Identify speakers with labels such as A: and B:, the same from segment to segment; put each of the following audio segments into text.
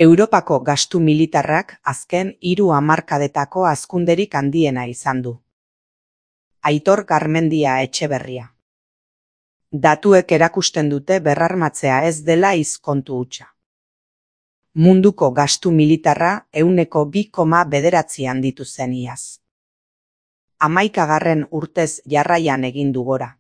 A: Europako gastu militarrak azken 3 hamarkadetako hazkunderik handiena izan du. Aitor Garmendia Etxeberria. Datuek erakusten dute berrarmatzea ez dela kontu hutsa. Munduko gastu militarra 2,9 handitu zen iaz. 11. urtez jarraian egin du gora.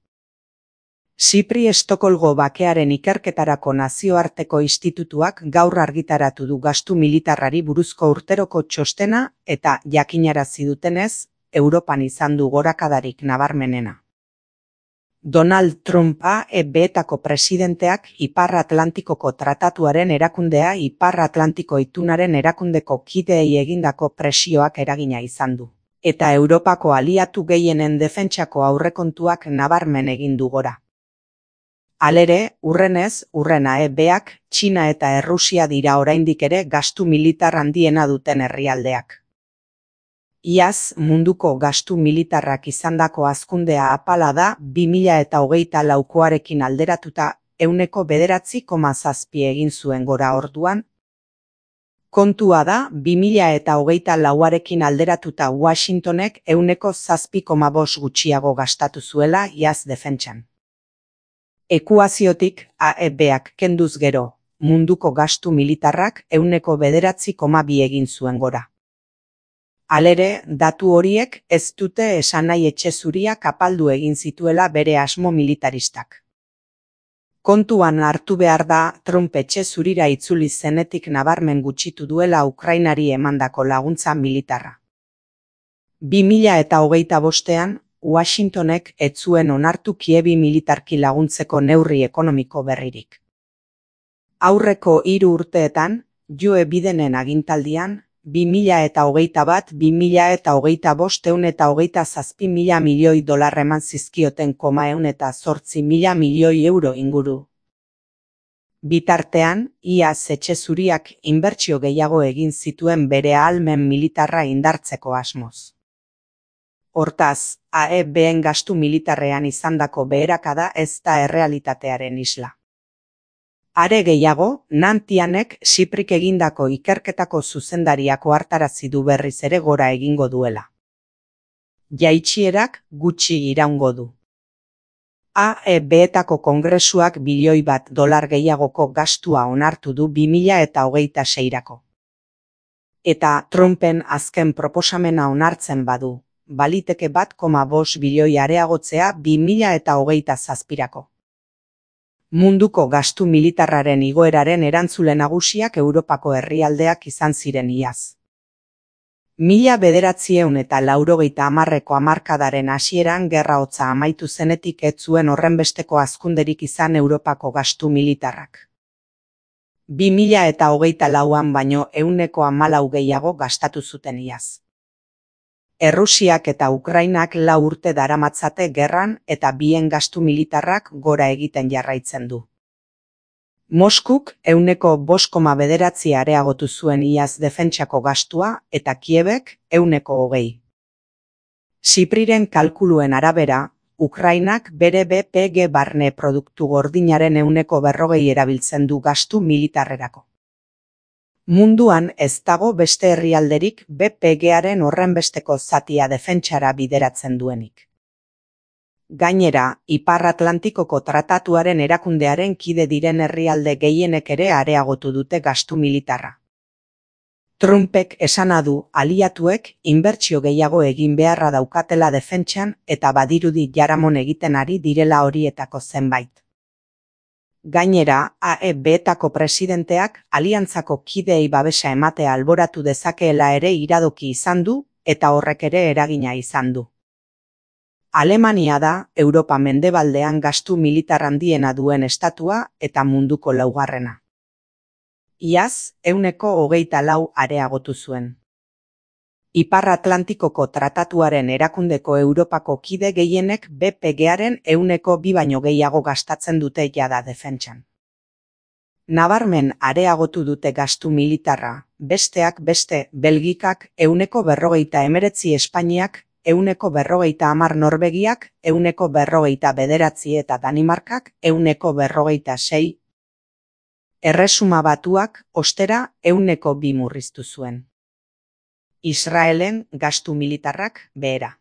A: Sipri Estokolgo bakearen ikerketarako nazioarteko institutuak gaur argitaratu du gastu militarrari buruzko urteroko txostena eta jakinarazi dutenez, Europan izan du gorakadarik nabarmenena. Donald Trumpa EB-etako presidenteak Ipar Atlantikoko Tratatuaren erakundea Ipar Atlantiko Itunaren erakundeko kideei egindako presioak eragina izan du. Eta Europako aliatu gehienen defentsako aurrekontuak nabarmen egin du gora. Halere, urrenez, urrena EB-ak, Txina eta Errusia dira oraindik ere gastu militar handiena duten herrialdeak. Iaz, munduko gastu militarrak izandako hazkundea apala da 2024koarekin alderatuta 9,7 egin zuen gora orduan. Kontua da, 2024arekin alderatuta Washingtonek 7,5 gutxiago gastatu zuela iaz defentsan. Ekuaziotik AEB-ak kenduz gero, munduko gastu militarrak 9,2 egin zuen gora. Halere, datu horiek ez dute esan nahi Etxe Zuriak apaldu egin zituela bere asmo militaristak. Kontuan hartu behar da Trump Etxe Zurira itzuli zenetik nabarmen gutxitu duela Ukrainari emandako laguntza militarra. 2025ean, Washingtonek ez zuen onartu Kievi militarki laguntzeko neurri ekonomiko berririk. Aurreko 3 urteetan, Joe Bidenen agintaldian, 2021-2025 $127.000 milioi eman zizkioten €108.000 milioi inguru. Bitartean, iaz Etxe Zuriak inbertsio gehiago egin zituen bere ahalmen militarra indartzeko asmoz. Hortaz, AEB-en gastu militarrean izandako beherakada ez da errealitatearen isla. Are gehiago, Nantianek Siprik egindako ikerketako zuzendariak ohartarazi du berriz ere gora egingo duela. Jaitsierak gutxi iraungo du. AEB-etako kongresuak $1 bilioi gehiagoko gastua onartu du 2026rako. Eta Trumpen azken proposamena onartzen badu, baliteke 1,5 bilioi areagotzea 2027rako. Munduko gastu militarraren igoeraren erantzule nagusiak Europako herrialdeak izan ziren iaz. 1980ko hamarkadaren hasieran gerra hotza amaitu zenetik ez zuen horrenbesteko hazkunderik izan Europako gastu militarrak. 2024an baino 114 gehiago gastatu zuten iaz. Errusiak eta Ukrainak 4 urte daramatzate gerran eta bien gastu militarrak gora egiten jarraitzen du. Moskuk 5,9 areagotu zuen iaz defentsako gastua eta Kiebek 20. Sipriren kalkuluen arabera, Ukrainak bere BPG barne produktu gordinaren 40% erabiltzen du gastu militarrerako. Munduan ez dago beste herrialderik BPG-aren horrenbesteko zatia defentsara bideratzen duenik. Gainera, Ipar Atlantikoko Tratatuaren erakundearen kide diren herrialde gehienek ere areagotu dute gastu militarra. Trumpek esana du aliatuek inbertsio gehiago egin beharra daukatela defentsan eta badirudi jaramon egiten ari direla horietako zenbait. Gainera, AEB-etako presidenteak aliantzako kideei babesa ematea alboratu dezakeela ere iradoki izan du eta horrek ere eragina izan du. Alemania da Europa mendebaldean gastu militar handiena duen estatua eta munduko 4. Iaz, 124 areagotu zuen. Ipar Atlantikoko Tratatuaren erakundeko Europako kide gehienek BPG-aren 2 baino gehiago gastatzen dute jada defentsan. Nabarmen areagotu dute gastu militarra, besteak beste Belgikak 149, Espainiak 150 Norvegiak 149 eta Danimarkak 156. Erresuma Batuak, ostera, 2% murriztu zuen. Israelen gastu militarrak behera.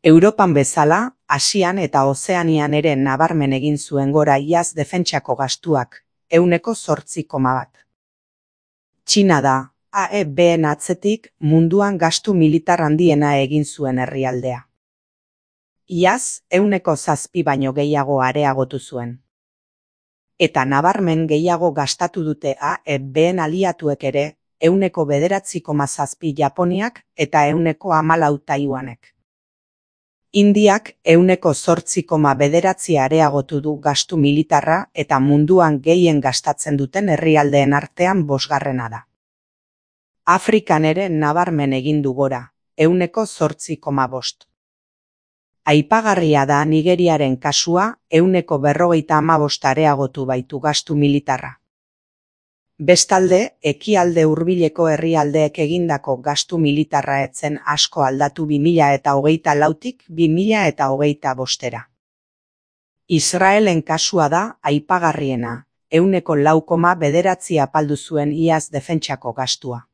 A: Europan bezala, Asian eta Ozeanian ere nabarmen egin zuen gora iaz defentsako gastuak, 8,1%. Txina da, AEBen atzetik, munduan gastu militar handiena egin zuen herrialdea. Iaz, 7% baino gehiago areagotu zuen. Eta nabarmen gehiago gastatu dute AEBen aliatuek ere, 9,7% Japoniak eta 14% Taiwanek. Indiak 8,9% areagotu du gastu militarra eta munduan gehien gastatzen duten herrialdeen artean 5. da. Afrikan ere nabarmen egin du gora, 8,5%. Aipagarria da Nigeriaren kasua, 1,55% areagotu baitu gastu militarra. Bestalde, ekialde hurbileko herrialdeek egindako gastu militarra etzen asko aldatu 2024tik 2025. Israelen kasua da aipagarriena, 4,9% apaldu zuen iaz defentsako gastua.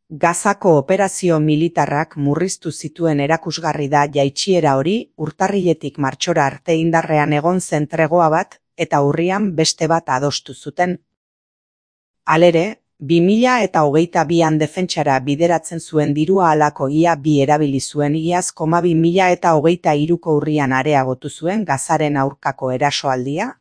A: Gazako operazio militarrak murriztu zituen erakusgarri da jaitsiera hori urtarriletik martxora arte indarrean egon zen tregoa bat eta urrian beste bat adostu zuten. Halere, 2022an defentsara bideratzen zuen dirua halako ia 2 erabili zuen iaz, 2023ko urrian areagotu zuen Gazaren aurkako erasoaldia